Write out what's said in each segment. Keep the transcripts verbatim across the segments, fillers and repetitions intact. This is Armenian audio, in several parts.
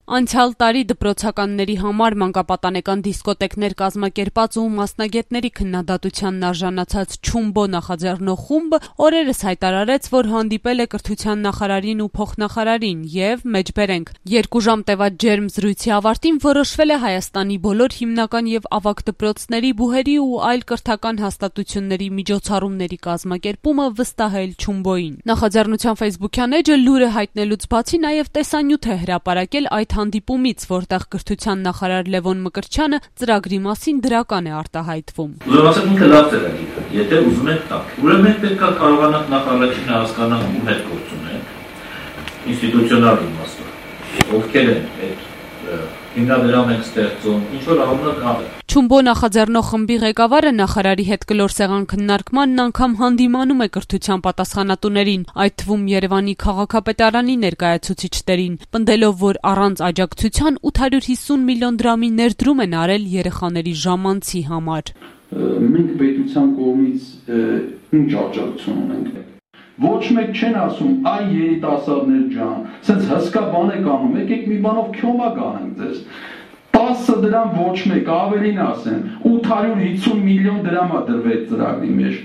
Անցյալ տարի դպրոցականների համար մանկապատանեկան դիսկոտեկներ կազմակերպած ու մասնագետների քննադատությանն արժանացած Չումբո նախաձեռնող խումբը օրերս հայտարարեց, որ հանդիպել է կրթության նախարարին ու փոխնախարարին եւ մեջբերենք երկու ժամ տևած ջերմ զրույցի ավարտին որոշվել է Հայաստանի բոլոր հիմնական եւ ավագ դպրոցների, բուհերի ու այլ կրթական հաստատությունների միջոցառումների կազմակերպումը վստահել Չումբոյին։ Նախաձեռնության Facebook-յան էջը լուրը հայտնելուց բացի նաեւ տեսանյութ է հրապարակել այդ հանդիպումից, որտեղ կրթության նախարար Լևոն Մկրտչյանը ծրագրի մասին դրական է արտահայտվում։ Ուզում ասեմ, ինքը լավ ծրագիր է, եթե ուզում եք տակ։ Ուրեմն պետք է կարողանանք նախարարին հասկանալ ում հետ գործ ունենք, ինստիտուցիոնալ իմաստով, ովքեր են այդ հիմնադրամ են ստեղծում, ինչ որ առումով Չումբո նախաձեռնող խմբի ղեկավարը նախարարի հետ կլոր սեղան քննարկմանն անգամ հանդիմանում է կրթության պատասխանատուներին, այդ թվում Երևանի քաղաքապետարանի ներկայացուցիչներին, պնդելով, որ առանց աջակցության ութ հարյուր հիսուն միլիոն դրամի ներդրում են արել երեխաների ժամանցի համար։ Մենք պետության կողմից ինչ աջակցություն ունենք։ Ոչ մեկ չեն ասում, այ երիտասարդներ ջան, սենց հսկա բան եք անում, եկեք մի բանով քյոմա գանենք ձեզ։ տասը դրամ ոչ մեկ, ավելին ասեմ, ութ հարյուր հիսուն միլիոն դրամ է դրվել ծրագրի մեջ,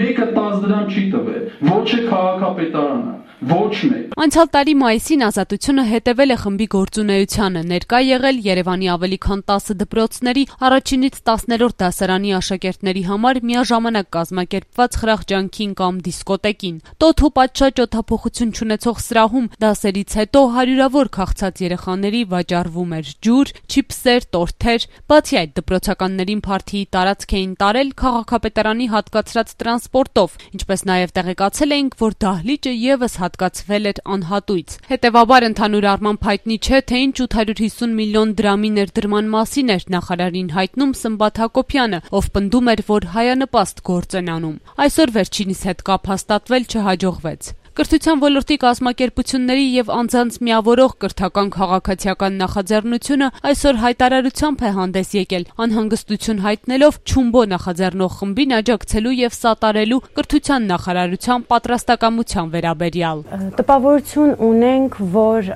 մեկը տասը դրամ չի տվել, ոչ է քաղաքապետարանը, ոչ մեկ։ Անցյալ տարի մայիսին Ազատությունը հետևել է խմբի գործունեությանը, ներկա եղել Երևանի ավելի քան տասը դպրոցների առաջինից տասներորդ դասարանի աշակերտների համար միաժամանակ կազմակերպված խրախճանքին կամ դիսկոտեկին։ Տոթ ու պատշաճ օդափոխություն չունեցող սրահում դասերից հետո հարյուրավոր քաղցած երեխաների վաճառվում էր ջուր, չիփսեր, տորթեր, բացի այդ դպրոցականներին փարթիի տարածք էին տարել քաղաքապետարանի հատկացրած տրանսպորտով, ինչպես նաև տեղեկացել էինք, որ դահլիճը եւս հատկացվել էր անհատույց։ Հետևաբար ընդհանուր առմամբ հայտնի չէ, թե ինչ ութ հարյուր հիսուն միլիոն դրամի ներդրման մասին էր նախարարին հայտնում Սմբատ Հակոբյանը, ով պնդում էր, որ հայանպաստ գործ են անում։ Այսօր վերջինիս հետ կապ հաստատվել չհաջողվեց։ Կրթության ոլորտի կազմակերպությունների եւ անձանց միավորող կրթական քաղաքացիական նախաձեռնությունը այսօր հայտարարությամբ է հանդես եկել, անհանգստություն հայտնելով Չումբո նախաձեռնող խմբին աջակցելու եւ սատարելու կրթության նախարարության պատրաստակամության վերաբերյալ։ Տպավորություն ունենք, որ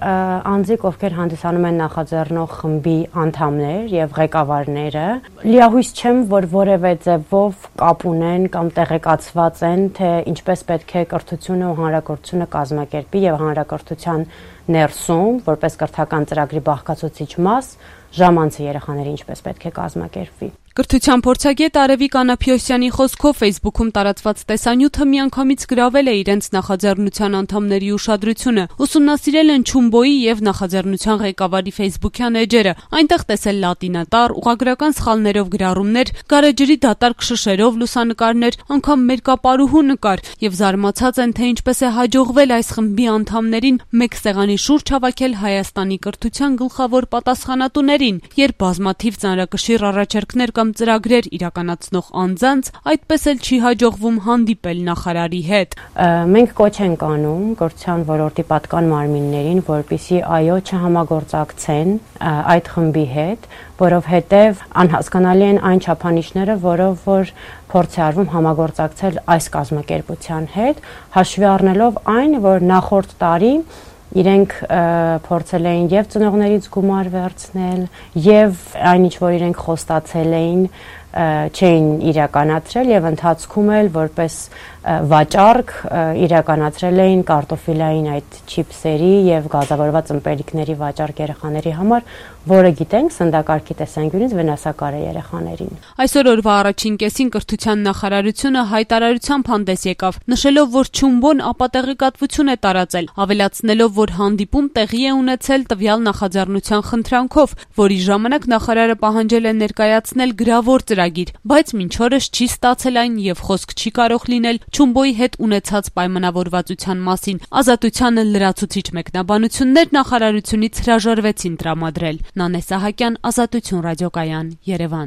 անձիկ, ովքեր հանդիսանում են նախաձեռնող խմբի անդամներ եւ ղեկավարները, լիահույս չեմ, որ որևէ ձևով կապ ունեն կամ տեղեկացված են, թե ինչպես պետք է կրթությունը ու հանրակրթությունը կազմակերպի եւ հանրակրթության ներսում, որպես կրթական ծրագրի բաղկացուցիչ մաս, ժամանցի երեխաների ինչպես պետք է կազմակերպվի։ Կրթության փորձագետ Արևիկ Անափիոսյանի խոսքով Facebook-ում տարածված տեսանյութը միանգամից գրավել է իրենց նախաձեռնության անդամների ուշադրությունը, ուսումնասիրել են Չումբոյի եւ նախաձեռնության ղեկավարի Facebook-յան էջերը, այնտեղ տեսել լատինատար, ուղղագրական սխալներով գրառումներ, գարեջրի դատարկ շշերով լուսանկարներ, անգամ մերկապարուհու նկար եւ զարմացած են, թե ինչպես է հաջողվել այս խմբի անդամներին մեկ սեղանի շուրջ հավաքել Հայաստանի կրթության գլխավոր պատասխանատուներին, երբ բազմաթիվ ծանրակշիռ առաջարկներ կամ ծրագրեր իրականացնող անձանց այդպես էլ չի հաջողվում հանդիպել նախարարի հետ։ Մենք կոչ ենք անում կրթության ոլորտի պատկան մարմիններին, որպեսզի այո չհամագործակցեն այդ խմբի հետ, որովհետև անհասկանալի են այն չափանիշները, որով որ փորձ է արվում համագործակցել այս կազմակերպության հետ, հաշվի առնելով այն, որ նախորդ տարի իրենք փորձել էին եւ ծնողներից գումար վերցնել եւ այն ինչ որ իրենք խոստացել էին չէին իրականացրել եւ ընթացքում էլ որպես վաճառք իրականացրել էին կարտոֆիլային այդ չիփսերի եւ գազավորված ըմպելիքների վաճառք երեխաների համար, որը գիտենք սննդակարգի տեսանկյունից վնասակար է երեխաներին։ Այսօր օրվա առաջին կեսին կրթության նախարարությունը հայտարարությամբ հանդես եկավ, նշելով, որ Չումբոն ապատեղեկատվություն է տարածել, ավելացնելով, որ հանդիպում տեղի է ունեցել տվյալ նախաձեռնության խնդրանքով, որի ժամանակ նախարարը պահանջել է ներկայացնել գրավոր ծրագիր, բայց մինչ օրս չի ստացել այն եւ խոսք չի կարող լինել Չումբոյի հետ ունեցած պայմանավորվածության մասին։ Ազատությանը լրացուցիչ մեկնաբանություններ նախարարությունից հրաժարվեցին տրամադրել։ Նանե Սահակյան, Ազատություն ռադիոկայան, Երևան։